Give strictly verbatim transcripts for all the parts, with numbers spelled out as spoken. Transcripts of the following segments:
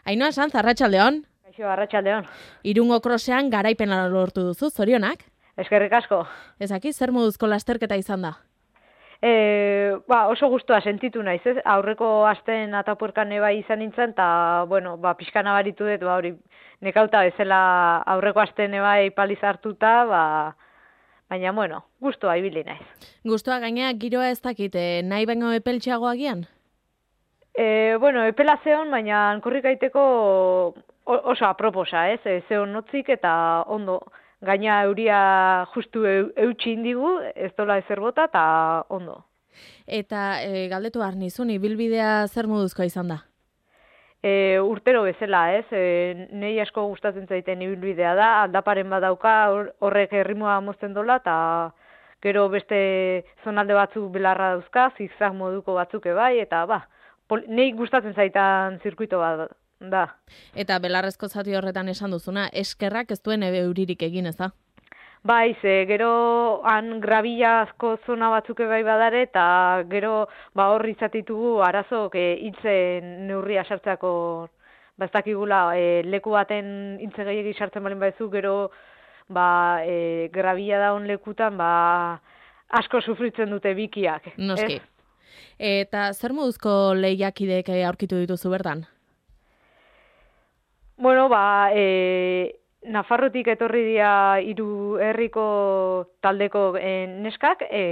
Ainhoa Sanz, arratsaldeon. Kaixo, arratsaldeon. Irungo krosean garaipena lortu duzu, zorionak. Eskerrik asko. Ezaki, zer moduzko lasterketa izan da? E, ba, oso gustua sentitu naiz, ez? Aurreko asten atapuerkan bai izan nintzen, eta, bueno, ba, pixka nabaritu dut, ba, hori, nekauta bezala aurreko asten bai paliz hartuta, ba, baina, bueno, gustua ibili naiz. Gustua gainea giroa ez dakit, eh, nahi baino epeltxeago agian? E, bueno, epela zeon, baina korrikaiteko oso aproposa, ez? E, zeon notzik eta ondo. Gaina euria justu eutxi indigu, ez dola ezer bota, eta ondo. Eta e, galdetu behar nizun, ibilbidea zer moduzkoa izan da? E, urtero bezala, ez? E, nei asko gustatzen zaiten ibilbidea da, aldaparen badauka, horrek erritmoa mozten dola, eta gero beste zonalde batzuk belarra dauzka, zigzag moduko batzuk bai, eta ba, pol, nei gustatzen zaitan zirkuito bat da. Eta belarrezko zati horretan esan duzuna, eskerrak ez duen euririk egin, ez da? Bai, ze gero han grabilazko zona batzuk bai badare, eta gero ba hor izatitugu arazok e, hiltzen neurria sartzeko, ba ez dakigula, e, leku baten hiltze gehiegi sartzen balin baizu, gero ba e, grabila daun lekutan ba asko sufritzen dute bikiak. Noski. Eta zer moduzko lehiakideek aurkitu dituzu bertan? Bueno, ba, e, Nafarrotik etorri dira hiru herriko taldeko e, neskak e,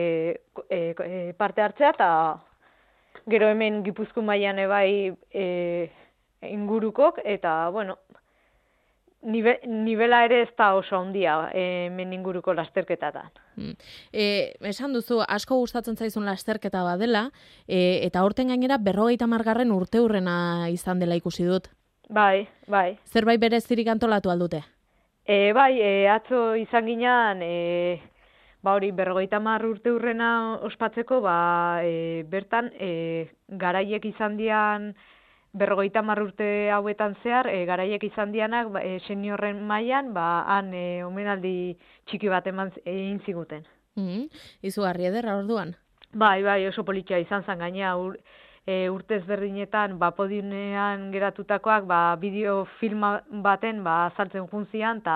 e, e, parte hartzea, eta gero hemen Gipuzkoa mailan bai e, ingurukok, eta, bueno, nive, nivela ere ez da oso handia e, hemen inguruko lasterketatan. Hmm. E, esan duzu, asko gustatzen zaizun lasterketa badela, e, eta horten gainera berrogeita hamargarren urteurrena izan dela ikusi dut. Bai, bai. Zerbait berezirik antolatu aldute? E, bai, e, atzo izan ginean, e, ba hori, berrogeita hamar urte urrena ospatzeko, ba, e, bertan, e, garaiek izan dian, berrogeita hamar urte hauetan zehar, e, garaiek izan dianak, ba, e, seniorren mailan, ba, han e, omenaldi txiki bat eman egin ziguten. Mm-hmm. Izugarri ederra orduan? Bai, bai, oso politia izan zen gainea, ur, E, urtez berdinetan, ba, podiumean geratutakoak, ba, bideo filma baten, ba, saltzen juntzian, eta,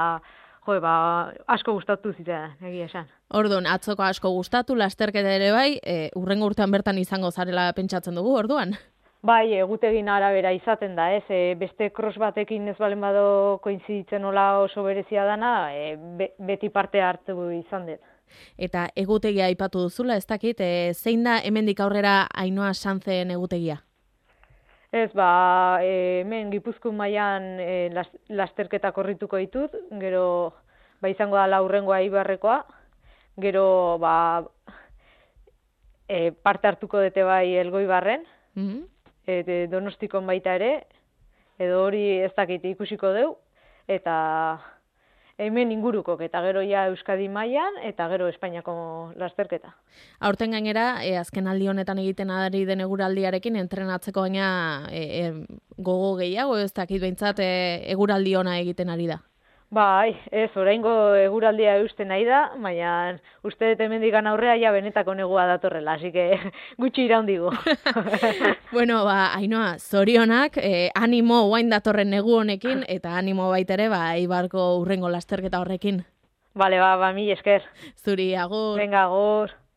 jo, ba, asko gustatu zitea, egia esan. Orduan, atzoko asko gustatu, lasterketa ere bai, e, urrengo urtean bertan izango zarela pentsatzen dugu, orduan? Bai, egutegin arabera izaten da, ez, e, beste cross batekin ez balen bado koinziditzen nola oso berezia dana, e, be, beti parte hartu izan dut. Eta egutegia aipatu duzula, ez dakit, e, zein da hemendik aurrera Ainhoa Sanzen egutegia? Ez, ba, e, hemen Gipuzkoa mailan e, las, lasterketa korrituko ditut, gero ba, izango da laurrengoa Ibarrekoa, gero ba, e, parte hartuko dute bai Elgoibarren, mm-hmm. e, Donostikon baita ere, edo hori ez dakit ikusiko deu, eta hemen ingurukok, eta gero ja Euskadi mailan eta gero Espainiako lasterketa. Aurten gainera, e, azken aldi honetan egiten ari den eguraldiarekin entrenatzeko baina e, e, gogo gehiago, ez dakit behintzat e, eguraldi ona egiten ari da. Bai, ez, oraingo eguraldia eusten nahi da, baina uste dut hemendik aurrea ja benetako negua datorrela, así que gutxi iraundigu. Bueno, ba, Ainhoa, zorionak, eh, animo guain datorren negu honekin, eta animo baitere, ba, Eibarko urrengo lasterketa horrekin. Bale, ba, ba, mil esker. Zuri, agur. Venga, agur.